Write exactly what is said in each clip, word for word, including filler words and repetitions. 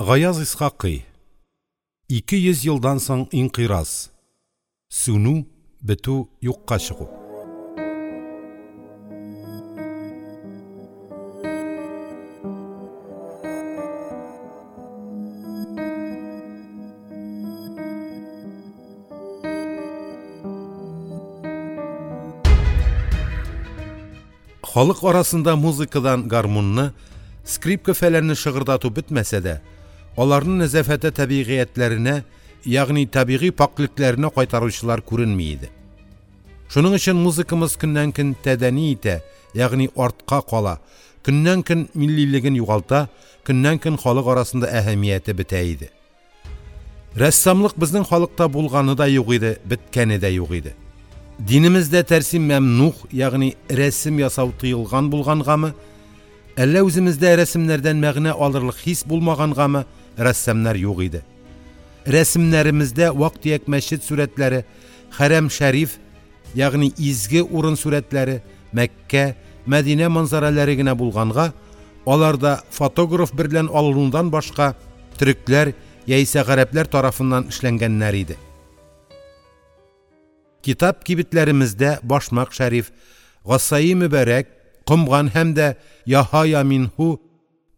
Гаяз Исхакый. Ике йөз елдан соң инкыйраз. Сүнү, бетү, юкка чыгу. Халык арасында музыкадан гармунны, скрипка фәләнне шыгырдату бетмәсә дә, аларның нәзафәте табигыятьләренә, ягъни табигый пакьлекләренә кайтаручылар күренми иде. Шуның өчен музыкамыз көннән-көн тәдәни итә, ягъни артка кала, көннән-көн миллилеген югалта, көннән-көн халык арасында әһәмияте бетә иде. Рәссамлык безнең халыкта булганы да юк иде, беткәне дә юк иде. Динемездә тәрсим мәмнух, ягъни рәсем ясау тыелган булгангамы, әллә үземездә рәсемнәрдән мәгънә алырлык хис булмагангамы, рәссамнар юк иде. Рәсемнәремездә вак-төяк мәчет сурәтләре, хәрам шәриф, ягъни изге урын сурәтләре, Мәккә, Мәдинә манзаралары генә булганга, аларда фотограф берлән алынудан башка төрекләр яисә гарәпләр тарафыннан эшләнгәннәр иде. Китап кибетләремездә башмак шәриф, гасаи мөбарәк, комган һәм дә яһа яминһу,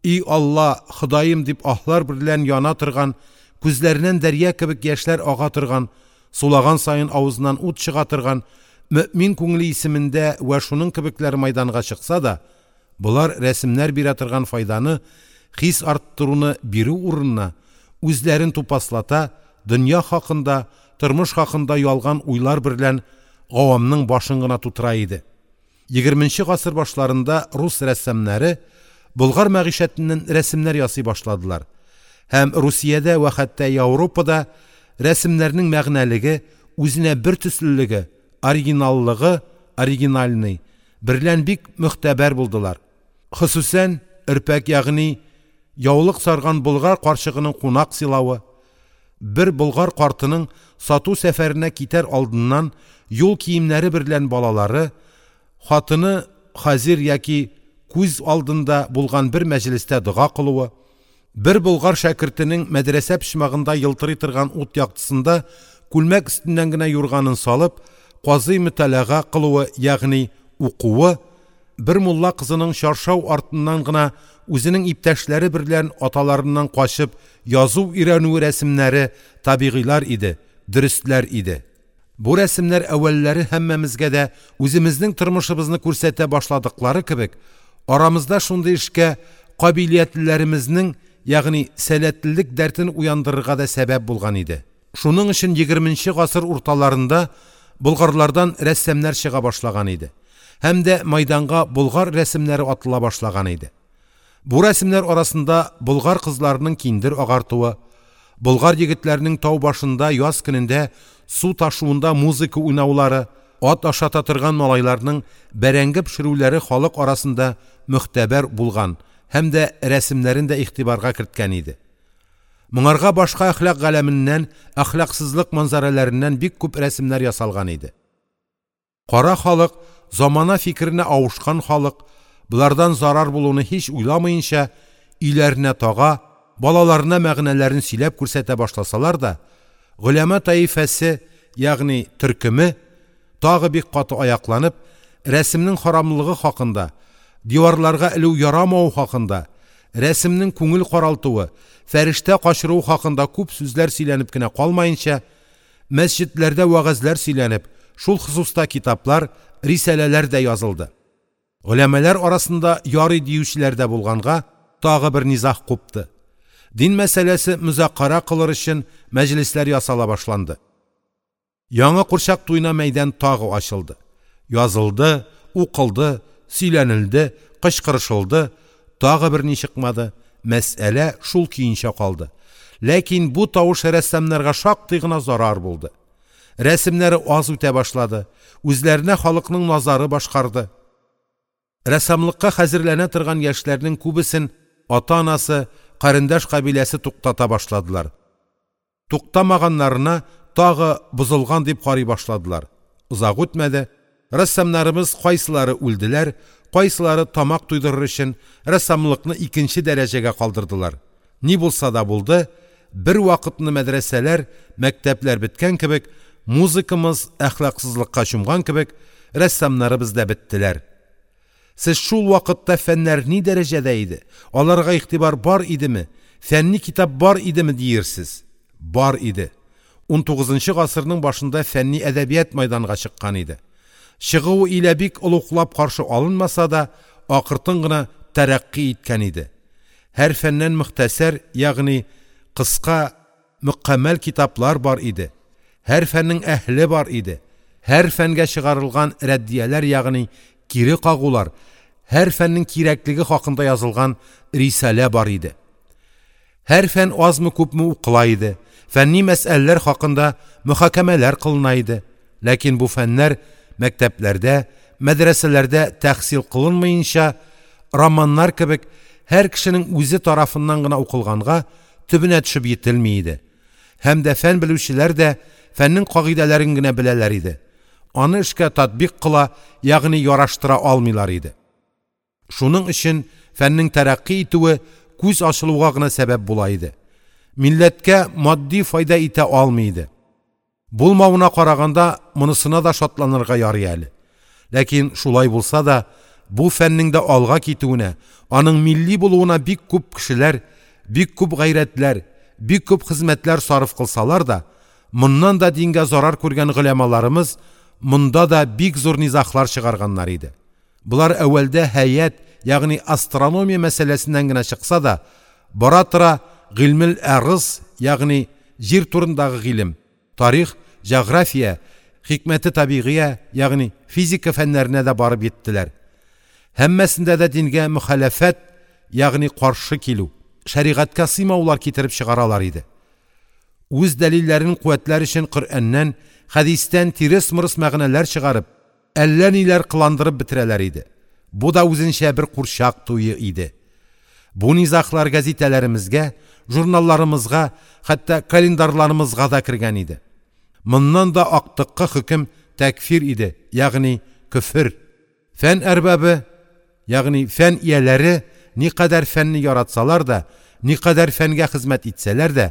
и Алла, Ходаем дип аһлар берлән яна торган, күзләреннән дәрья кебек яшьләр ага торган, сулаган саен авызыннан ут чыга торган мөэмин күңеле исемендә вә шуның кебекләр мәйданга чыкса да, болар рәсемнәр бирә торган файданы, хис арттыруны бирү урынына үзләрен тупаслата, дөнья хакында, тормыш хакында ялган уйлар берлән гавамның башын гына тутыра иде. Егерменче гасыр башларында рус рәссамнары Болгар мәгыйшәтеннән рәсемнәр ясый башладылар. Һәм Русиядә вә хәтта Европада рәсемнәрнең мәгънәлеге, үзенә бер төслелеге, оригиналлыгы, оригинальный, берлән бик мөхтәбәр булдылар. Хосусән өрпәк, ягъни яулык сарган болгар карчыгының кунак сыйлавы, бер болгар картының сату сәфәренә китәр алдыннан юл киемнәре берлән балалары, хатыны хазир яки күз алдында булган бер мәҗлестә дога кылуы, бер болгар шәкертенең мәдрәсә почмагында елтырый торган ут яктысында күлмәк өстеннән генә юрганын салып, казый мөталага кылуы, ягъни укуы, бер мулла кызының чаршау артыннан гына үзенең иптәшләре берлән аталарыннан качып язу өйрәнүе рәсемнәре табигыйлар иде, дөрестләр иде. Бу рәсемнәр әүвәлләре һәммәмезгә дә үземезнең тормышыбызны күрсәтә башладыклары кебек, арамызда шундый эшкә кабилиятлеләремезнең, ягъни сәләтлелек дәртен уяндырырга да сәбәп булган иде. Шуның өчен егерменче гасыр урталарында болгарлардан рәссамнар чыга башлаган иде. Һәм дә майданга болгар рәсемнәре атыла башлаган иде. Бу рәсемнәр арасында болгар кызларының киндер агартуы, болгар егетләренең тау башында яз көнендә су ташуында музыка уйнаулары, ат ашата торган малайларның бәрәңге пешерүләре халык арасында мөхтәбәр булган һәм дә рәсемнәрен дә игътибарга керткән иде. Моңарга башка әхлак галәменнән, әхлаксызлык манзараларыннан бик күп рәсемнәр ясалган иде. Кара халык, замана фикеренә авышкан халык, булардан зарар булуны һич уйламаенча, өйләренә тага, балаларына мәгънәләрен сөйләп күрсәтә башласалар да, голәмә таифәсе, ягъни төркеме, тагы бик каты аякланып, рәсемнең харамлыгы хакында, диварларга элү ярамау хакында, рәсемнең күңел каралтуы, фәрештә качыруы хакында күп сүзләр сөйләнеп кенә калмаенча, мәсҗидләрдә вәгазьләр сөйләнеп, шул хосуста китаплар, рисаләләр дә язылды. Голәмәләр арасында ярый диючеләр дә булганга, тагы бер низаг купты. Дин мәсьәләсе мөзакара кылыр өчен мәҗлесләр ясала башланды. Яңа курчак туена мәйдан тагы ачылды. Язылды, укылды, сөйләнелде, кычкырышылды, тагы бер ни чыкмады. Мәсьәлә шул көенчә калды. Ләкин бу тавыш рәссамнарга шактый гына зарар булды. Рәсемнәре аз үтә башлады. Үзләренә халыкның назары башкарды. Рәссамлыкка хәзерләнә торган яшьләрнең күбесен ата-анасы, карендәш кабиләсе туктата башладылар. Туктамаганнарына тагы бозылган дип карый башладылар. Озак үтмәде, рәссамнарыбыз кайсылары үлделәр, кайсылары тамак туйдырыр өчен рәссамлыкны икенче дәрәҗәгә калдырдылар. Ни булса да булды, бервакытны мәдрәсәләр, мәктәпләр беткән кебек, музыкамыз әхлаксызлыкка чумган кебек, рәссамнарымыз да беттеләр. Сез шул вакытта фәннәр ни дәрәҗәдә иде, аларга игътибар бар идеме, фәнни китап бар идеме диерсез? Бар иде. Унтугызынчы гасырның башында фәнни әдәбият мәйданга чыккан иде. Чыгуы илә бик олуглап каршы алынмаса да, акыртын гына тәрәкъкый иткән иде. Һәр фәннән мөхтәсар, ягъни кыска, мөкәммәл китаплар бар иде. Һәр фәннең әһле бар иде. Һәр фәнгә чыгарылган рәддияләр, ягъни кире кагулар, һәр фәннең кирәклеге хакында язылган рисалә бар иде. Һәр фән азмы-күпме укыла иде. Фәнни мәсьәләләр хакында мөхакәмәләр кылына иде. Ләкин бу фәннәр мәктәпләрдә, мәдрәсәләрдә тәхсил кылынмаенча, романнар кебек һәр кешенең үзе тарафыннан гына укылганга төбенә төшеп йителми иде. Һәм дә фән белүчеләр дә фәннең кагыйдәләрен генә беләләр иде. Аны эшкә татбик кыла, ягъни яраштыра алмыйлар иде. Шуның өчен фәннең тәрәкъкый итүе күз ачылуга гына сәбәп була иде. Милләткә матди файда итә алмый иде. Булмавына караганда монысына да шатланырга ярый әле. Ләкин шулай булса да, бу фәннең дә алга китүенә, аның милли булуына бик күп кешеләр, бик күп гайрәтләр, бик күп хезмәтләр сарыф кылсалар да, моннан да дингә зарар күргән голямаларымыз монда да бик зур низаглар чыгарганнар иде. Болар әүвәлдә һәйәт, ягъни астрономия мәсьәләсеннән генә чыкса да, бара-тора гыйльмел арыз, ягъни җир турындагы гыйлем, тарих, җәгърафия, хикмәте табигыя, ягъни физика фәннәренә дә барып йиттеләр. Һәммәсендә дә дингә мөхаләфәт, ягъни каршы килү, шәригатькә сыймаулар китереп чыгаралар иде. Үз дәлилләрен куәтләр өчен Коръәннән, хәдистән тирес-мырыс мәгънәләр чыгарып, әллә ниләр кыландырып бетерәләр иде. Бу да үзенчә бер курчак туе иде. Бу низаглар гәзитәләремезгә, журналларымызга, хәтта календарьларымызга да кергән иде. Моннан да актыккы хөкем тәкфир иде, ягъни көфер. Фән әрбабы, ягъни фән ияләре никадәр фәнне яратсалар да, никадәр фәнгә хезмәт итсәләр дә,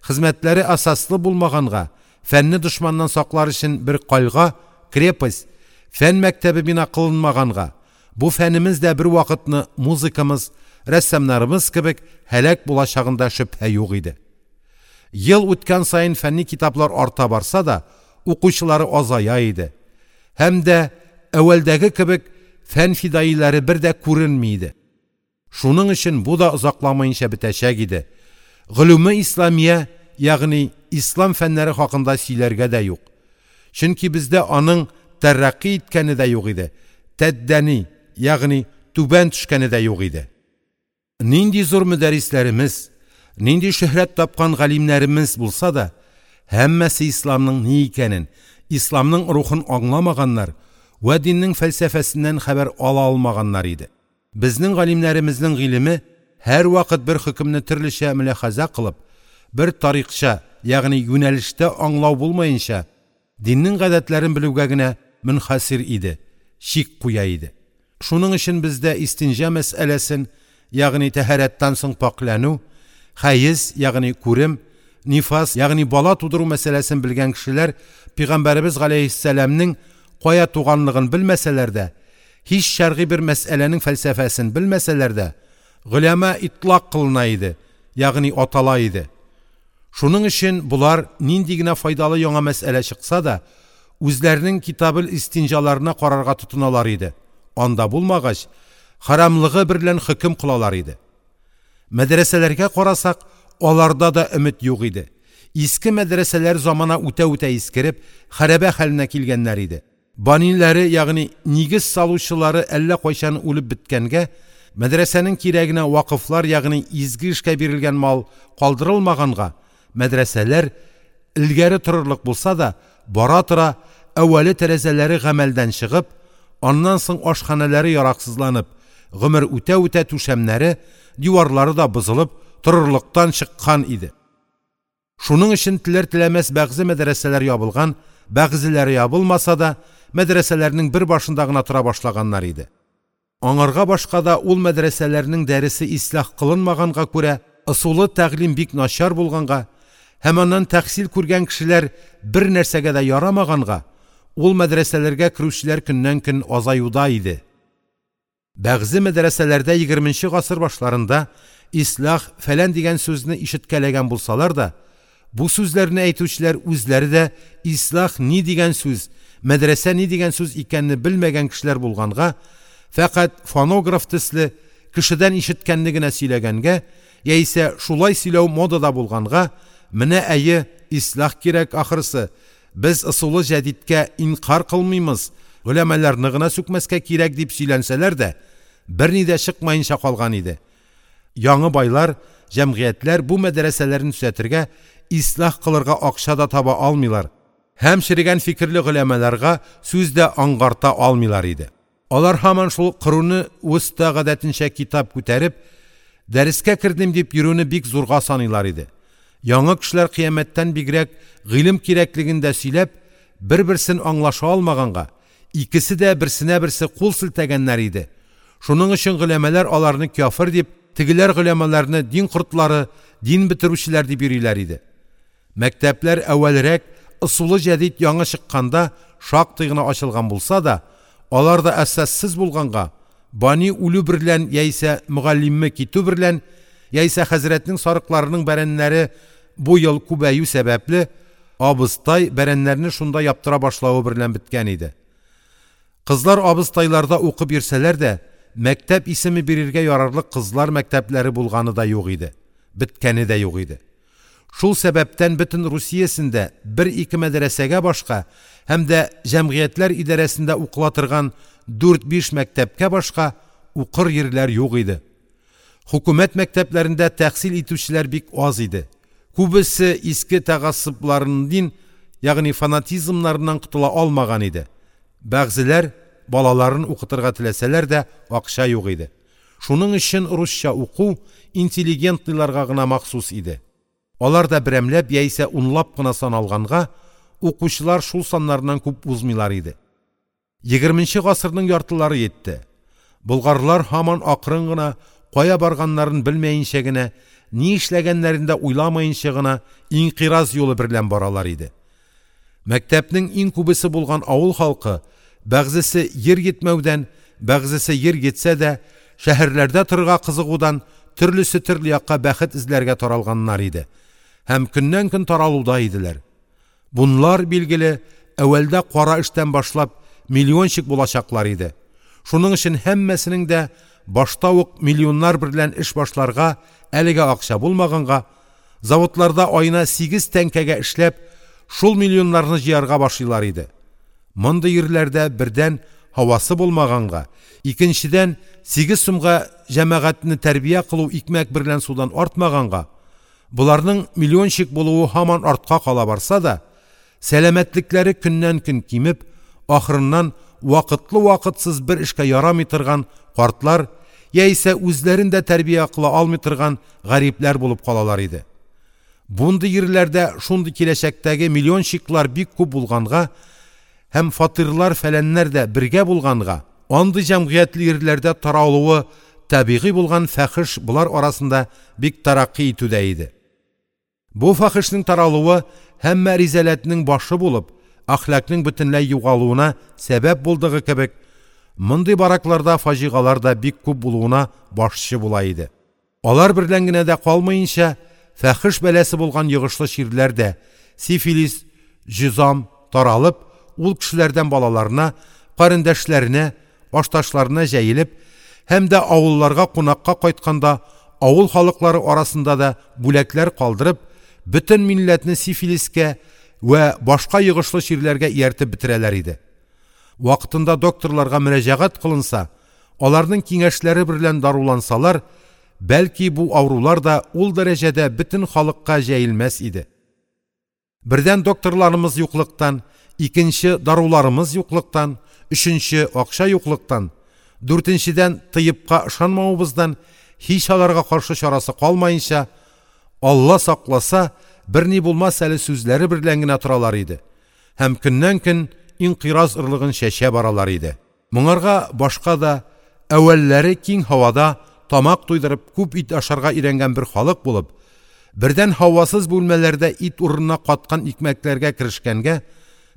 хезмәтләре асаслы булмаганга, фәнне дошманнан саклар өчен бер кальга, крепость, фән мәктәбе бина кылынмаганга, бу фәнемез дә бер вакытны музыкамыз, рәссамнарымыз кебек һәлак булачагында шөбһә юк иде. Ел үткән саен фәнни китаплар арта барса да, укучылары азая иде. Һәм дә әүвәлдәге кебек фән фидаилары бер дә күренми иде. Шуның өчен бу да озакламаенча бетәчәк иде. Гөлүме исламия, ягъни ислам фәннәре хакында сөйләргә дә юк. Чөнки бездә аның тәрәкъкый иткәне дә юк иде. Тәддәни, ягъни түбән төшкәне дә юк иде. Нинди зур мөдәррисләремез, нинди шөһрәт тапкан галимнәремез булса да, һәммәсе исламның ни икәнен, исламның рухын аңламаганнар вә диннең фәлсәфәсеннән хәбәр ала алмаганнар иде. Безнең галимнәремезнең гыйлеме һәрвакыт бер хөкемне төрлечә мөляхәзә кылып, бер тарикча, ягъни юнәлештә аңлау булмаенча, диннең гадәтләрен белүгә генә мөнхасир иде, чик куя иде. Шуның өчен бездә истинҗа мәсьәләсен, ягъни тәһарәттән соң пакьләнү, хәез, ягъни күрем, нифас, ягъни бала тудыру мәсьәләсен белгән кешеләр Пәйгамбәребез галәйһиссәламнең кая туганлыгын белмәсәләр дә, һич шәргый бер мәсьәләнең фәлсәфәсен белмәсәләр дә, голяма итлак кылына иде, ягъни атала иде. Шуның өчен болар нинди генә файдалы яңа мәсьәлә чыкса да, үзләренең китабел истинҗаларына карарга тотыналар иде. Анда булмагач, харамлыгы берлән хөкем кылалар иде. Мәдрәсәләргә карасак, аларда да өмет юк иде. Иске мәдрәсәләр замана үтә-үтә искереп, хәрабә хәленә килгәннәр иде. Баниләре, ягъни нигез салучылары әллә кайчан үлеп беткәнгә, мәдрәсәнең кирәгенә вакыфлар, ягъни изге эшкә бирелгән мал калдырылмаганга, мәдрәсәләр элгәре торырлык булса да, бара-тора әүвәле тәрәзәләре гамәлдән чыгып, аннан соң ашханәләре яраксызланып, гомер үтә-үтә түшәмнәре, диварлары да бозылып, торырлыктан чыккан иде. Шуның өчен теләр-теләмәс бәгъзе мәдрәсәләр ябылган, бәгъзеләре ябылмаса да, мәдрәсәләрнең бер башында гына тора башлаганнар иде. Аңарга башка да ул мәдрәсәләрнең дәресе ислах кылынмаганга күрә, ысулы тәгълим бик начар булганга һәм аннан тәхсил күргән кешеләр бер нәрсәгә дә ярамаганга, ул мәдрәсәләргә керүчеләр көннән-көн азаюда иде. Бәгъзе мәдрәсәләрдә егерменче гасыр башларында ислях фәлән дигән сүзне ишеткәләгән булсалар да, бу сүзләрне әйтүчеләр үзләре дә ислях ни дигән сүз, мәдрәсә ни дигән сүз икәнне белмәгән кешеләр булганга, фәкать фонограф төсле кешедән ишеткәнне генә сөйләгәнгә яисә шулай сөйләү модада булганга, менә әйе, ислях кирәк ахрысы, без ысулы җәдидкә инкар кылмыймыз, голямаларны гына сүкмәскә кирәк дип сөйләнсәләр дә, берни дә чыкмаенча калган иде. Яңы байлар, җәмгыятьләр бу мәдрәсәләрне төзәтергә, ислях кылырга акча да таба алмыйлар һәм черегән фикерле голямаларга сүз дә аңгарта алмыйлар иде. Алар һаман шул кыруны вөста гадәтенчә китап күтәреп, дәрескә кердем дип йөрүне бик зурга саныйлар иде. Яңы кешеләр кыямәттән бигрәк гыйлем кирәклеген дә сөйләп, бер-берсен аңлаша алмаганга, икесе дә берсенә берсе кул селтәгәннәр иде. Шуның өчен голямалар аларны кяфер дип, тегеләр голямаларны дин кортлары, дин бетерүчеләр дип йөриләр иде. Мәктәпләр әүвәлрәк ысулы җәдид яңы чыкканда шактый гына ачылган булса да, алар да әсассыз булганга, бани үлү берлән яисә мөгаллиме китү берлән, яисә хәзрәтнең сарыкларының бәрәннәре бу ел күбәю сәбәпле, абыстай бәрәннәрне шунда яптыра башлавы берлән беткән иде. Кызлар абыстайларда укып йөрсәләр дә, мәктәп исеме бирергә ярарлык кызлар мәктәпләре булганы да юк иде, беткәне дә юк иде. Шул сәбәптән бөтен Русиясендә бер-ике мәдрәсәгә башка һәм дә җәмгыятьләр идарәсендә укыла торган дүрт-биш мәктәпкә башка укыр йирләр юк иде. Хөкүмәт мәктәпләрендә тәхсил итүчеләр бик аз иде. Күбесе иске тәгассыбларыннан, ягъни фанатизмнарыннан котыла алмаган иде. Бәгъзеләр балаларын укытырга теләсәләр дә акча юк иде. Шуның өчен русча уку интеллигентларга гына махсус иде. Алар да берәмләп яисә унлап кына саналганга, укучылар шул саннарыннан күп узмыйлар иде. Егерменче гасырның яртылары йитте. Болгарлар һаман акрын гына, кая барганнарын белмәенчә генә, ни эшләгәннәрен дә уйламаенча гына инкыйраз юлы берлән баралар иде. Мәктәпнең иң күбесе булган авыл халкы, бәгъзесе ер йитмәүдән, бәгъзесе ер йитсә дә, шәһәрләрдә торырга кызыгудан төрлесе төрле якка бәхет эзләргә таралганнар иде. Һәм көннән-көн таралуда иделәр. Бунлар билгеле, әүвәлдә кара эштән башлап миллиончик булачаклар иде. Шуның өчен һәммәсенең дә башта ук миллионнар берлән эш башларга әлегә акча булмаганга, заводларда аена сигез тәңкәгә эшләп, шул миллионнарны җыярга башлыйлар иде. Мондый йирләрдә бердән һавасы булмаганга, икенчедән сигез сумга җәмәгатьне тәрбия кылу икмәк берлән судан артмаганга, буларның миллиончик булуы һаман артка кала барса да, сәламәтлекләре көннән-көн кимеп, ахырыннан вакытлы-вакытсыз бер эшкә ярамый торган картлар яисә үзләрен дә тәрбия кыла алмый торган гарипләр булып калалар иде. Бундый йирләрдә шундый киләчәктәге миллиончиклар бик күп булганга һәм фатирлар фәләннәр дә бергә булганга, андый җәмгыятьле йирләрдә таралуы табигый булган фахиш булар арасында бик тараккый итүдә иде. Бу фахишнең таралуы һәммә ризаләтнең башы булып, әхлакның бөтенләй югалуына сәбәп булдыгы кебек, мондый баракларда фаҗигалар да бик күп булуына башчы була иде. Алар берлән генә дә калмаенча, фахиш бәласе булган йогышлы чирләр дә, сифилис, җизам таралып, ул кешеләрдән балаларына, карендәшләренә, ашташларына җәелеп, һәм дә авылларга кунакка кайтканда авыл халыклары арасында да бүләкләр калдырып, бөтен милләтне сифилискә вә башка йогышлы чирләргә ияртеп бетерәләр иде. Вакытында докторларга мөрәҗәгать кылынса, аларның киңәшләре берлән дарулансалар, бәлки бу авырулар да ул дәрәҗәдә бөтен халыкка җәелмәс иде. Бердән докторларымыз юклыктан, икенче даруларымыз юклыктан, өченче акча юклыктан, дүртенчедән тыйыпка ышанмавыбыздан һич аларга каршы чарасы калмаенча, Алла сакласа, берни булмас әле сүзләре берлән генә торалар иде. Һәм көннән-көн инкыйраз ырлыгын чәчә баралар иде. Моңарга башка да әүвәлләре киң һавада тамак туйдырып күп ит ашарга өйрәнгән бер халык булып, бердән һавасыз бүлмәләрдә ит урынына каткан икмәкләргә керешкәнгә,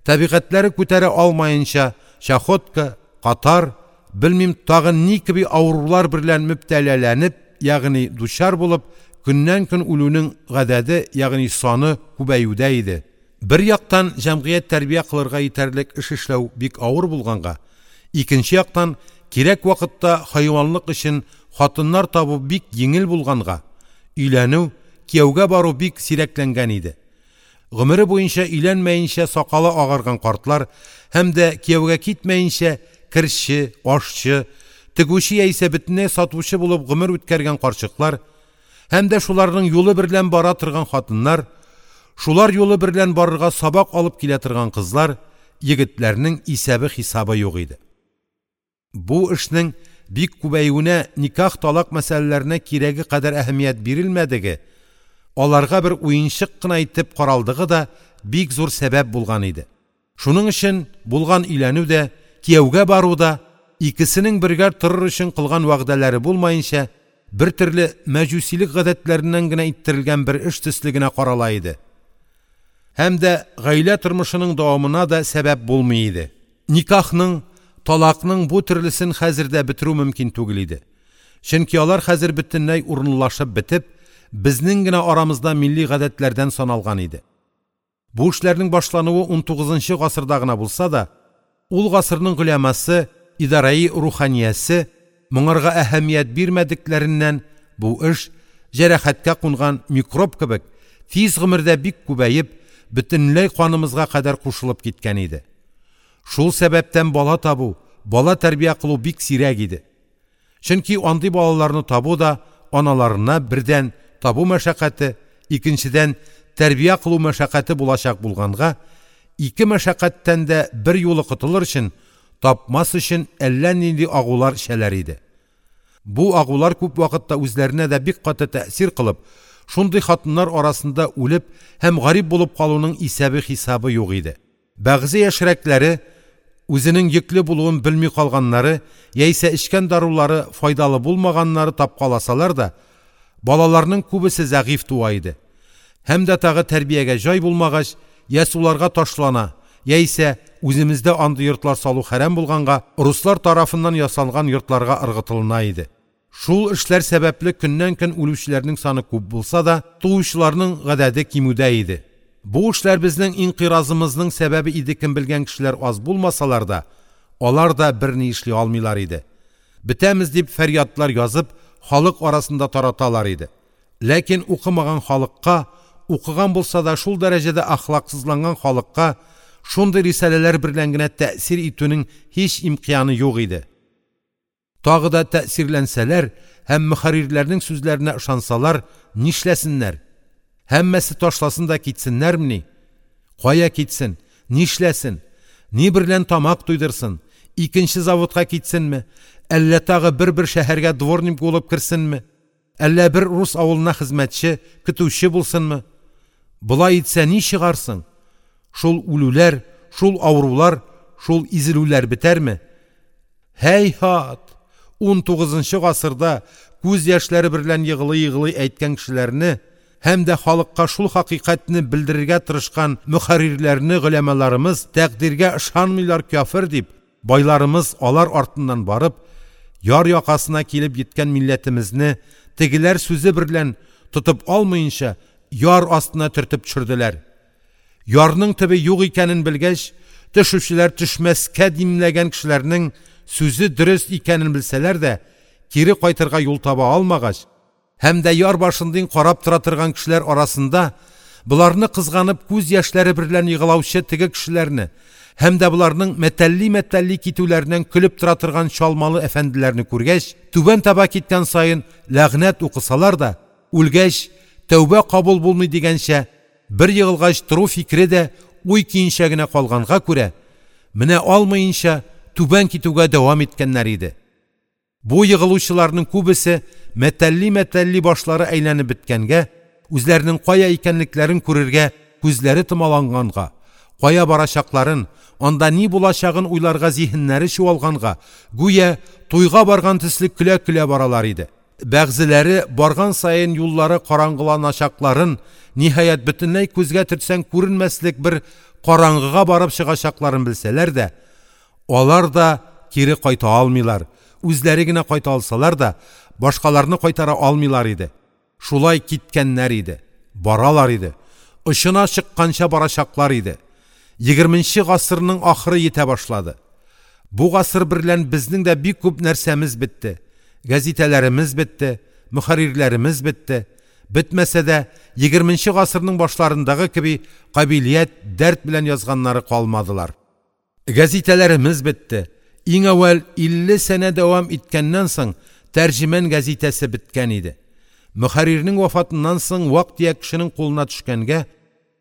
табигатьләре күтәрә алмаенча чахотка, катар, белмим тагы ни кеби авырулар берлән мөбтәләләнеп, ягъни дучар булып, көннән-көн үлүнең гадәде, ягъни саны күбәюдә иде. Бер яктан җәмгыять тәрбия кылырга итәрлек эш эшләү бик авыр булганга, икенче яктан кирәк вакытта хайванлык өчен хатыннар табу бик йиңел булганга, өйләнү, кияүгә бару бик сирәкләнгән иде. Гомере буенча өйләнмәенчә сакалы агарган картлар һәм дә кияүгә китмәенчә керче, ашчы, тегүче яисә бөтенләй сатучы булып гомер үткәргән карчыклар һәм дә шуларның юлы берлән бара торган хатыннар, шулар юлы берлән барырга сабак алып килә торган кызлар, егетләрнең исәбе-хисабы юк иде. Бу эшнең бик күбәюенә никах-талак мәсьәләләренә кирәге кадәр әһәмият бирелмәдеге, аларга бер уенчык кына итеп каралдыгы да бик зур сәбәп булган иде. Шуның өчен булган өйләнү дә, кияүгә бару да икесенең бергә торыр өчен кылган вәгъдәләре булмаенча, бер төрле мәҗүсилек гадәтләреннән генә иттерелгән бер эш төсле генә карала иде. Һәм дә гаилә тормышының дәвамына да сәбәп булмый иде. Никахның, талакның бу төрлесен хәзер дә бетерү мөмкин түгел иде. Чөнки алар хәзер бөтенләй урынлашып бетеп, безнең генә арамызда милли гадәтләрдән саналган иде. Бу эшләрнең башлануы унтугызынчы гасырда гына булса да, ул гасырның голямасы, идараи руханиясе моңарга әһәмият бирмәдекләреннән бу эш җәрәхәткә кунган микроб кебек тиз гомердә бик күбәеп, бөтенләй канымызга кадәр кушылып киткән иде. Шул сәбәптән бала табу, бала тәрбия кылу бик сирәк иде. Чөнки андый балаларны табу да аналарына бердән табу мәшәкате, икенчедән тәрбия кылу мәшәкате булачак булганга, ике мәшәкатьтән дә бер юлы котылыр өчен, тапмас өчен әллә нинди агулар эчәләр иде. Бу агулар күп вакытта үзләренә дә бик каты тәэсир кылып, шундый хатыннар арасында үлеп һәм гарип булып калуның исәбе-хисабы юк иде. Бәгъзе яшьрәкләре үзенең йөкле булуын белми калганнары яисә эчкән дарулары файдалы булмаганнары тапкаласалар да, балаларның күбесе зәгыйфь туа иде. Һәм дә тагы тәрбиягә җай булмагач, я суларга ташлана, яисә үземездә андый йортлар салу хәрам булганга, руслар тарафыннан ясалган йортларга ыргытылына иде. Шул эшләр сәбәпле көннән-көн үлүчеләрнең саны күп булса да, туучыларның гадәте кимүдә иде. Бу эшләр безнең инкыйразымызның сәбәбе иде кем белгән кешеләр аз булмасалар да, алар да берни эшли алмыйлар иде. Бетәмез дип фәрьядлар язып, халык арасында тараталар иде. Ләкин укымаган халыкка, укыган булса да шул дәрәҗәдә әхлаксызланган халыкка шундый рисаләләр берлән генә тәэсир итүнең һич имканы юк иде. Тагы да тәэсирләнсәләр һәм мөхәррирләрнең сүзләренә ышансалар, нишләсеннәр? Һәммәсе ташласын да китсеннәрмени? Кая китсен? Нишләсен? Ни берлән тамак туйдырсын? Икенче заводка китсенме? Әллә тагы бер-бер шәһәргә дворник булып керсенме? Әллә бер рус авылына хезмәтче, көтүче булсынмы? Болай итсә ни чыгарсың? Шул үлүләр, шул авырулар, шул изелүләр бетәрме? Һәй-һат! унтугызынчы гасырда күз яшьләре берлән егылый-егылый әйткән кешеләрне һәм дә халыкка шул хакыйкатьне белдерергә тырышкан мөхәррирләрне голямаларымыз тәкъдиргә ышанмыйлар кяфер дип, байларымыз алар артыннан барып, яр якасына килеп йиткән милләтемезне тегеләр сүзе берлән тотып алмаенча яр астына төртеп төшерделәр. Ярның төбе юк икәнен белгәч, төшүчеләр төшмәскә димләгән кешеләрнең сүзе дөрес икәнен белсәләр дә, кире кайтырга юл таба алмагач, һәм дә яр башындин карап тора торган кешеләр арасында боларны кызганып күз яшьләре берлән егылаучы теге кешеләрне һәм дә боларның мәтәлли-мәтәлли китүләреннән көлеп тора торган чалмалы әфәнделәрне күргәч, түбән таба киткән саен ләгънәт укысалар да, үлгәч тәүбә кабул булмый дигәнчә, бер егылгач тору фикере дә уй көенчә генә калганга күрә, менә алмаенча түбән китүгә дәвам иткәннәр иде. Бу егылучыларның күбесе мәтәлли-мәтәлли башлары әйләнеп беткәнгә, үзләренең кая икәнлекләрен күрергә күзләре томаланганга, кая барачакларын, анда ни булачагын уйларга зиһеннәре чуалганга, гүя туйга барган төсле көлә-көлә баралар иде. Бәгъзеләре барган саен юллары караңгыланачакларын, ниһаять, бөтенләй күзгә төртсәң күренмәслек бер караңгыга барып чыгачакларын белсәләр дә, алар да кире кайта алмыйлар, үзләре генә кайта алсалар да, башкаларны кайтара алмыйлар иде. Шулай киткәннәр иде, баралар иде, очына чыкканча барачаклар иде. Егерменче гасырның ахыры йитә башлады. Бу гасыр берлән безнең дә бик күп нәрсәмез бетте. Гәзитәләремез бетте, мөхәррирләремез бетте. Бетмәсә дә, егерменче гасырның башларындагы кеби кабилият, дәрт белән язганнары калмадылар. Гәзитәләремез бетте. Иң әүвәл илле сәнә дәвам иткәннән соң «Тәрҗеман» гәзитәсе беткән иде. Мөхәррирнең вафатыннан соң вак-төяк кешенең кулына төшкәнгә,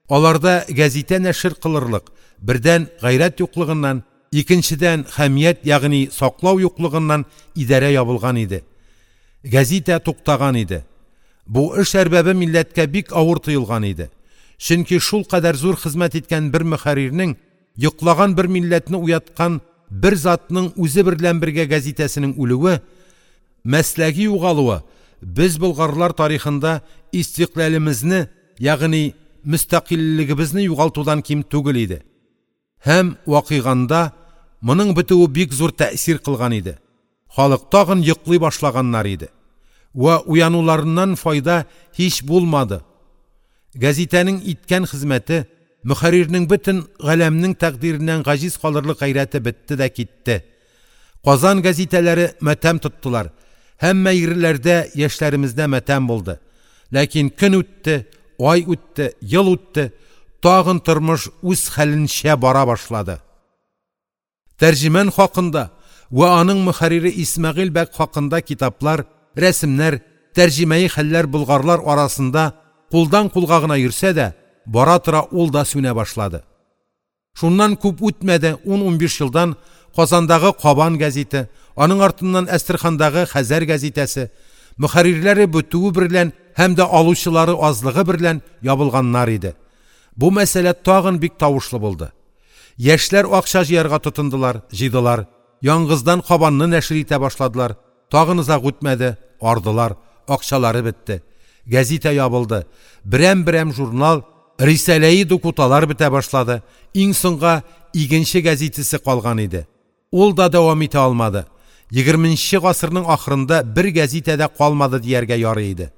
аларда гәзитә нәшер кылырлык, бердән, гайрәт юклыгыннан, икенчедән, хәмият, ягъни саклау юклыгыннан идарә ябылган иде. Гәзитә туктаган иде. Бу эш әрбабе милләткә бик авыр тоелган иде. Чөнки шулкадәр зур хезмәт иткән бер мөхәррирнең, йоклаган бер милләтне уяткан бер затның үзе берлән бергә гәзитәсенең үлүе, мәсләге югалуы без болгарлар тарихында истикълялемезне, ягъни мөстәкыйльлегебезне югалтудан ким түгел иде. Һәм вакыйганда моның бетүе бик зур тәэсир кылган иде. Халык тагын йоклый башлаганнар иде. Вә уянуларыннан файда һич булмады. Гәзитәнең иткән хезмәте, мөхәррирнең бөтен галәмнең тәкъдиреннән гаҗиз калырлык гайрәте бетте дә китте. Казан гәзитәләре матәм тоттылар. Һәммә йирләрдә яшьләремездә матәм булды. Ләкин көн үтте, ай үтте, ел үтте, тагын тормыш үз хәленчә бара башлады. «Тәрҗеман» хакында вә аның мөхәррире Исмәгыйль бәк хакында китаплар, рәсемнәр, тәрҗемәи хәлләр болгарлар арасында кулдан кулга гына йөрсә дә, бара-тора ул да сүнә башлады. Шуннан күп үтмәде, ун-унбиш елдан Казандагы «Кабан» гәзите, аның артыннан Әстерхандагы «Хәзәр» гәзитәсе, мөхәррирләре бетүе берлән һәм дә алучылары азлыгы берлән ябылганнар иде. Бу мәсьәлә тагын бик тавышлы булды. Яшьләр акча җыярга тотындылар, җыйдылар. Яңгыздан «Кабан»ны нәшер итә башладылар. Тагын озак үтмәде, ардылар, акчалары бетте. Гәзитә ябылды. Берәм-берәм журнал, рисаләи дукуталар бетә башлады. Иң соңга «Игенче» гәзитәсе калган иде. Ул да дәвам итә алмады. Егерменче гасырның ахырында бер гәзитә дә калмады дияргә ярый иде.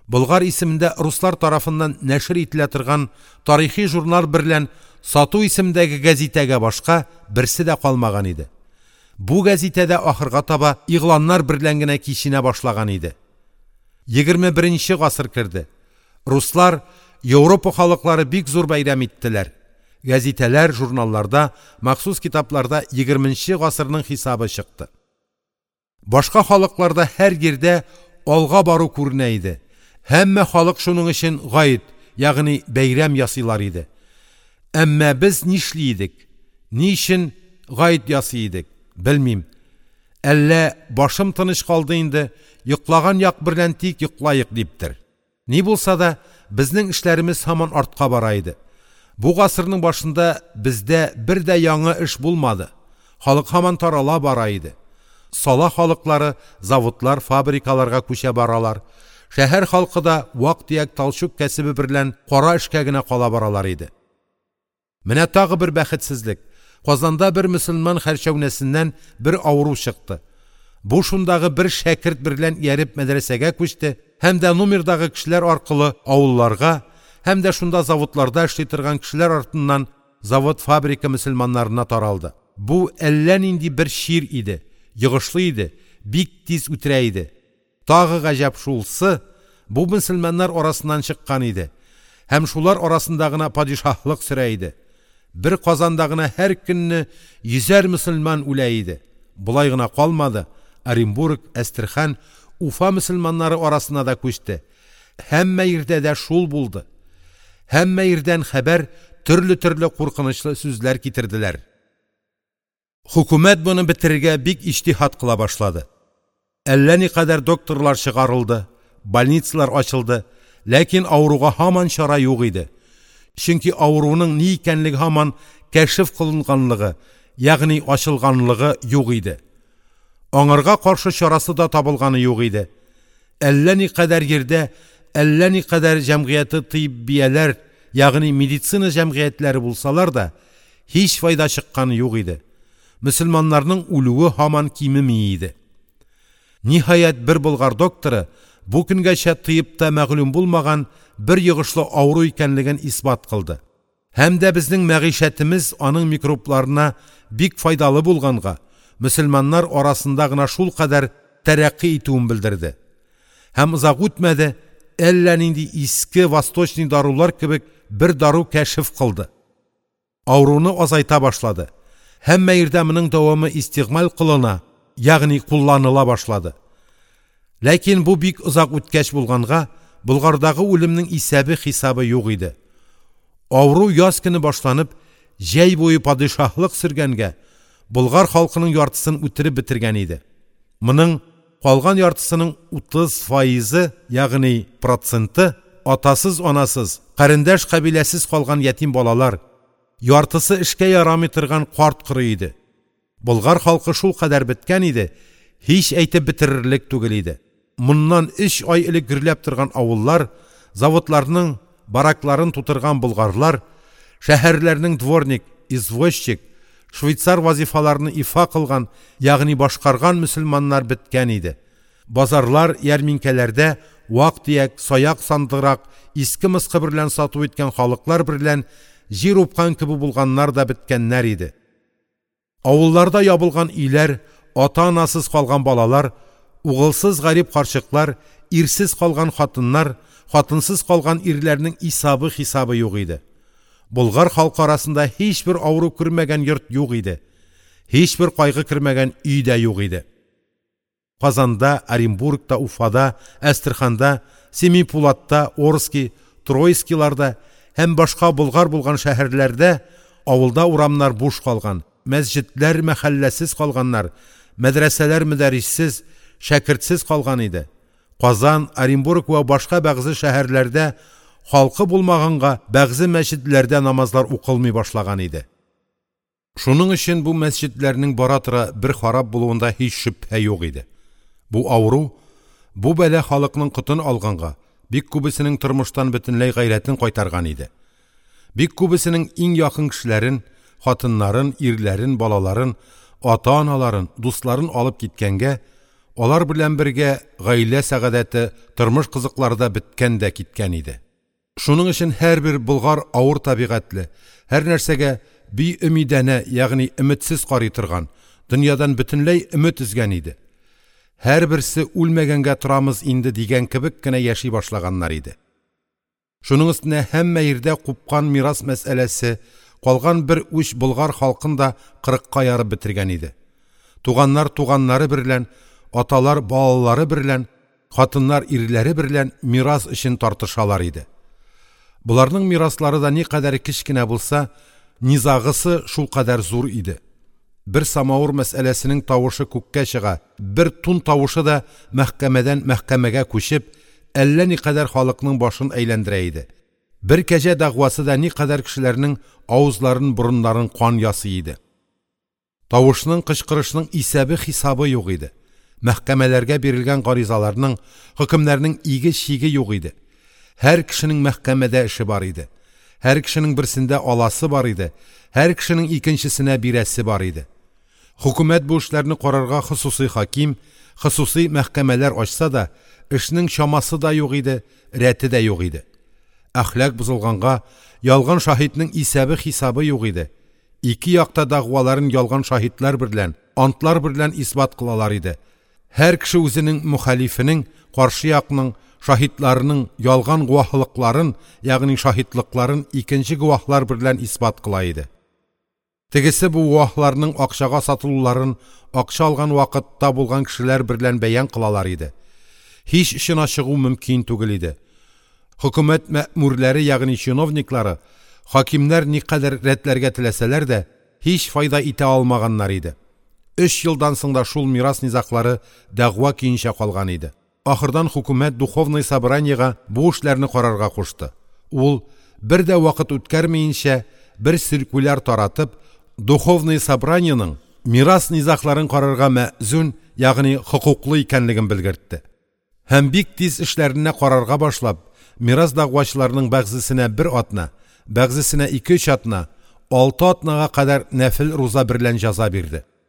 Болгар исемендә руслар тарафыннан нәшер ителә торган тарихи журнал берлән «Сату» исемендәге гәзитәгә башка берсе дә калмаган иде. Бу гәзитә дә ахырга таба игъланнар берлән генә киченә башлаган иде. Егерме беренче гасыр керде. Руслар, Европа халыклары бик зур бәйрәм иттеләр. Гәзитәләр, журналларда, махсус китапларда егерменче гасырның хисабы чыкты. Башка халыкларда һәр йирдә алга бару күренә иде. Һәммә халык шуның өчен гает, ягъни бәйрәм ясыйлар иде. Әмма без нишли идек? Ни өчен гает ясый идек? Белмим. Әллә башым тыныч калды инде, йоклаган як берлән тик йоклаек диптер. Ни булса да, безнең эшләремез һаман артка бара иде. Бу гасырның башында бездә бер дә яңа эш булмады. Халык һаман тарала бара иде. Сала халыклары заводлар, фабрикаларга күчә баралар. Шәһәр халкы да вак-төяк талчук кәсебе берлән кара эшкә генә кала баралар иде. Менә тагы бер бәхетсезлек. Казанда бер мөселман хәрчәүнәсеннән бер авыру чыкты. Бу шундагы бер шәкерт берлән ияреп мәдрәсәгә күчте һәм дә номердагы кешеләр аркылы авылларга һәм дә шунда заводларда эшли торган кешеләр артыннан завод-фабрика мөселманнарына таралды. Бу әллә нинди бер чир иде, йогышлы иде, бик тиз үтерә иде. Тагы гаҗәп шулсы, бу мөселманнар арасыннан чыккан иде. Һәм шулар арасында гына падишаһлык сөрә иде. Бер Казанда гына һәр көнне йөзәр мөселман үлә иде. Болай гына калмады. Оренбург, Әстерхан, Уфа мөселманнары арасына да күчте. Һәммә йирдә дә шул булды. Һәммә йирдән хәбәр, төрле-төрле куркынычлы сүзләр китерделәр. Хөкүмәт моны бетерергә бик иҗтиһат кыла башлады. Әллә никадәр докторлар чыгарылды, больницалар ачылды, ләкин авыруга һаман чара юк иде. Чөнки авыруның ни икәнлеге һаман кәшеф кылынганлыгы, ягъни ачылганлыгы юк иде. Аңарга каршы чарасы да табылганы юк иде. Әллә никадәр йирдә, әллә никадәр җәмгыяте тыйббияләр, ягъни медицина җәмгыятьләре булсалар да, һич файда чыкканы юк иде. Мөселманнарның үлүе һаман кимеми иде. Ниһаять, бер болгар докторы бу көнгәчә тыйбта мәгълүм булмаган бер йогышлы авыру икәнлеген исбат кылды. Һәм дә безнең мәгыйшәтемез аның микробларына бик файдалы булганга, мөселманнар арасында гына шулкадәр тәрәкъкый итүен белдерде. Һәм озак үтмәде, әллә нинди иске восточный дарулар кебек бер дару кәшеф кылды. Авыруны азайта башлады. Һәммә йирдә моның дәвамы истигъмаль кылына, ягъни кулланыла башлады. Ләкин бу бик озак үткәч булганга, Болгардагы үлемнең исәбе-хисабы юк иде. Авыру яз көне башланып, җәй буе падишаһлык сөргәнгә, болгар халкының яртысын үтереп бетергән иде. Моның калган яртысының утыз фаизы, ягъни проценты атасыз-анасыз, карендәш-кабиләсез калган ятим балалар, яртысы эшкә ярамый торган карт-коры иде. Болгар халкы шулкадәр беткән иде, һич әйтеп бетерерлек түгел иде. Моннан өч ай элек гөрләп торган авыллар, заводларның баракларын тутырган болгарлар, шәһәрләрнең дворник, извозчик, швейцар вазифаларыны ифа кылган, ягъни башкарган мөселманнар беткән иде. Базарлар, ярминкәләрдә вак-төяк, саяк-сандырак, иске-мыскы берлән сату иткән халыклар берлән җир упкан кебек булганнар да беткәннәр иде. Авылларда ябылган өйләр, ата-анасыз калган балалар, угылсыз гарип карчыклар, ирсез калган хатыннар, хатынсыз калган ирләрнең исәбе-хисабы юк иде. Болгар халкы арасында һичбер авыру күрмәгән йорт юк иде. Һичбер кайгы кермәгән өй дә юк иде. Казанда, Оренбургта, Уфада, Әстерханда, Семипулатта, Орски, Троискиларда һәм башка болгар булган шәһәрләрдә авылда урамнар буш калган, мәсҗедләр мәхәлләсез калганнар, мәдрәсәләр мөдәрриссез, шәкертсез калган иде. Казан, Оренбург вә башка бәгъзе шәһәрләрдә халкы булмаганга бәгъзе мәсҗедләрдә намазлар укылмый башлаган иде. Шуның өчен бу мәсҗедләрнең бара-тора бер харап булуында һич шөбһә юк иде. Бу авыру, бу бәла халыкның котын алганга, бик күбесенең тормыштан бөтенләй гайрәтен кайтарган иде. Бик күбесенең иң якын кешеләрен, хатыннарын, ирләрен, балаларын, ата-аналарын, дусларын алып киткәнгә, алар белән бергә гаилә сәгадәте, тормыш кызыклары да беткән дә киткән иде. Шуның өчен һәрбер болгар авыр табигатьле, һәр нәрсәгә биөмидәнә, ягъни өметсез карый торган, дөньядан бөтенләй өмет өзгән иде. Һәрберсе үлмәгәнгә торамыз инде дигән кебек кенә яши башлаганнар иде. Шуның өстенә һәммә йирдә купкан мирас мәсьәләсе калган бер уч болгар халкын да кырыкка ярып бетергән иде. Туганнар туганнары берлән, аталар балалары берлән, хатыннар ирләре берлән мирас өчен тартышалар иде. Буларның мираслары да никадәр кечкенә булса, низагысы шулкадәр зур иде. Бер самавыр мәсьәләсенең тавышы күккә чыга, бер тун тавышы да мәхкәмәдән мәхкәмәгә күчеп, әллә никадәр халыкның башын әйләндерә иде. Бер кәҗә дәгъвасы да никадәр кешеләрнең авызларын, борыннарын кан ясый иде. Тавышның, кычкырышның исәбе-хисабы юк иде. Мәхкәмәләргә бирелгән гаризаларның, хөкемнәрнең иге-чиге юк иде. Һәр кешенең мәхкәмәдә эше бар иде. Һәр кешенең берсендә аласы бар иде. Һәр кешенең икенчесенә бирәсе бар иде. Хөкүмәт бу эшләрне карарга хосусый хаким, хосусый мәхкәмәләр ачса да, эшнең чамасы да юк иде, рәте дә юк иде. Әхлак бозылганга, ялган шаһитның исәбе-хисабы юк иде. Ике якта дәгъваларын ялган шаһитлар берлән, антлар берлән исбат кылалар иде. Һәр кеше үзенең мөхалифенең, каршы якның, шаһитларының ялган гуаһлыкларын, ягъни шаһитлыкларын икенче гуаһлар берлән исбат кыла иде. Тегесе бу гуаһларның акчага сатылуларын акча алган вакытта булган кешеләр берлән бәян кылалар иде. Һич очына чыгу мөмкин түгел иде. Хөкүмәт мәэмурлары, ягъни чиновниклары, хакимнәр никадәр рәтләргә теләсәләр дә, һич файда итә алмаганнар иде. Өч елдан соң да шул мирас низаглары дәгъва көенчә калган иде. Ахырдан хөкүмәт духовный собраниега бу эшләрне карарга кушты. Ул бер дә вакыт үткәрмәенчә бер циркуляр таратып, духовный собраниеның мирас низагларын карарга мәзун, ягъни хокуклы икәнлеген белгертте. Һәм бик тиз эшләренә карарга башлап, мирас дәгъвачыларның кайсысына бер атна, кайсысына ике-өч атна, алты атнага кадәр өстәмә руза берлән җәза бирде.